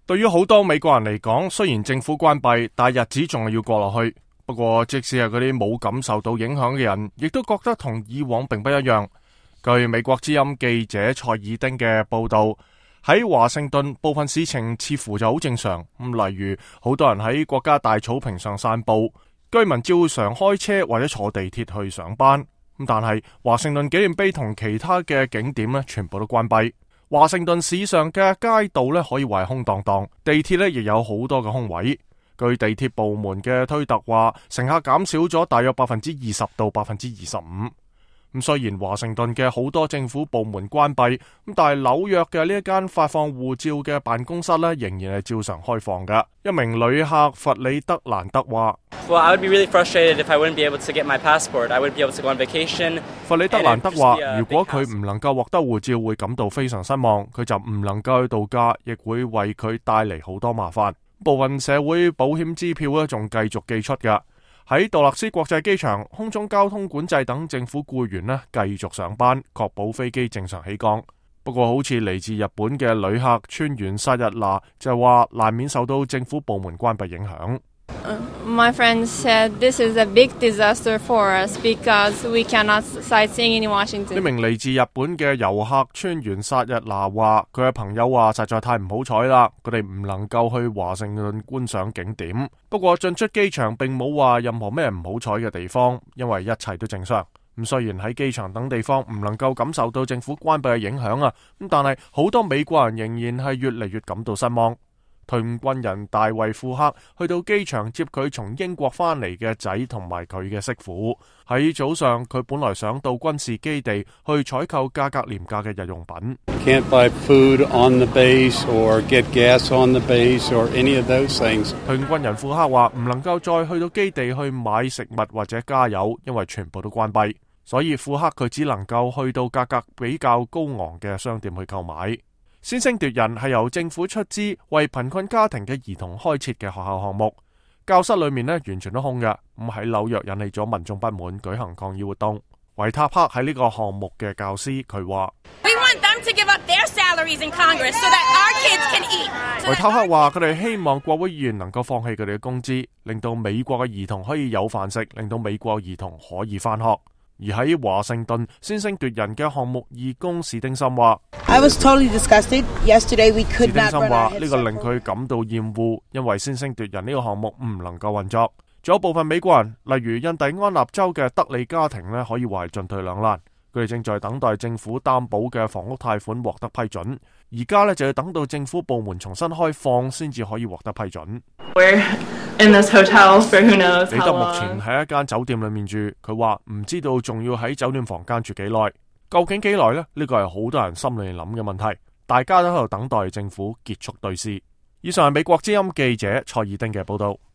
對於好多美國人嚟講，雖然政府關閉，但日子仲係要過落去。不過，即使係嗰啲冇感受到影響嘅人，亦都覺得同以往並不一樣。據美國之音記者蔡爾丁嘅報道，喺華盛頓部分事情似乎就好正常。例如好多人喺國家大草坪上散步，居民照常開車或者坐地鐵去上班。但係華盛頓紀念碑同其他嘅景點呢，全部都關閉。華盛頓市上嘅街道呢，可以話係空蕩蕩，地鐵呢亦有好多嘅空位。據地鐵部門嘅推特話，乘客減少咗大約20%到25%。雖然華盛頓嘅好多政府部門關閉，但係紐約嘅呢一間發放護照嘅辦公室呢，仍然係照常開放㗎。一名旅客弗里德蘭德話：Well, I would be really frustrated if I wouldn't be able to get my passport. I wouldn't be able to go on vacation. 弗里德蘭德話：如果佢唔能夠獲得護照，會感到非常失望。佢就唔能夠去度假，亦會為佢帶嚟好多麻煩。部分社會保險支票呢，仲繼續寄出㗎。喺杜勒斯國際機場，空中交通管制等政府僱員呢，繼續上班，確保飛機正常起降。不過，好似嚟自日本嘅旅客川原沙日娜就話，難免受到政府部門關閉影響。My friends said this is a big disaster for us because we cannot sightseeing in Washington. 呢名嚟自日本嘅遊客川原沙日娜話，佢嘅朋友話實在太唔好彩啦，佢哋唔能夠去華盛頓觀賞景點。不過進出機場並冇話任何咩唔好彩嘅地方，因為一切都正常。雖然喺機場等地方唔能夠感受到政府關閉嘅影響啊，但係好多美國人仍然係越嚟越感到失望。退伍軍人大衛庫克去到機場接佢從英國翻嚟嘅仔同埋佢嘅媳婦。喺早上，佢本來想到軍事基地去採購價格廉價嘅日用品。Can't buy food on the base or get gas on the base or any of those things. 退伍軍人庫克話唔能夠再去到基地去買食物或者加油，因為全部都關閉。所以庫克佢只能夠去到價格比較高昂嘅商店去購買。先聲奪人係由政府出資為貧困家庭嘅兒童開設嘅學校項目，教室裏面呢完全都空嘅。喺紐約引起咗民眾不滿，舉行抗議活動。維塔克喺呢個項目嘅教師，佢話：維塔克話佢哋希望國會議員能夠放棄佢哋嘅工資，令到美國嘅兒童可以有飯食，令到美國兒童可以返學。而喺華盛頓先聲奪人嘅項目義工史丁森話：I was totally disgusted. Yesterday we could not run our heads. 史丁森話呢個令佢感到厭惡，因為先聲奪人呢個項目唔能夠運作。仲有部分美國人，例如印第安納州嘅德利家庭呢，可以話係進退兩難。佢哋正在等待政府擔保嘅房屋貸款獲得批准，而家呢就要等到政府部門重新開放先至可以獲得批准。In this hotel for who knows how long. 李德目前喺一間酒店裏面住，佢話唔知道仲要喺酒店房間住幾耐，究竟幾耐呢？呢個係好多人心裏諗嘅問題，大家都喺度等待政府結束對峙。以上係美國之音記者蔡爾丁嘅報道。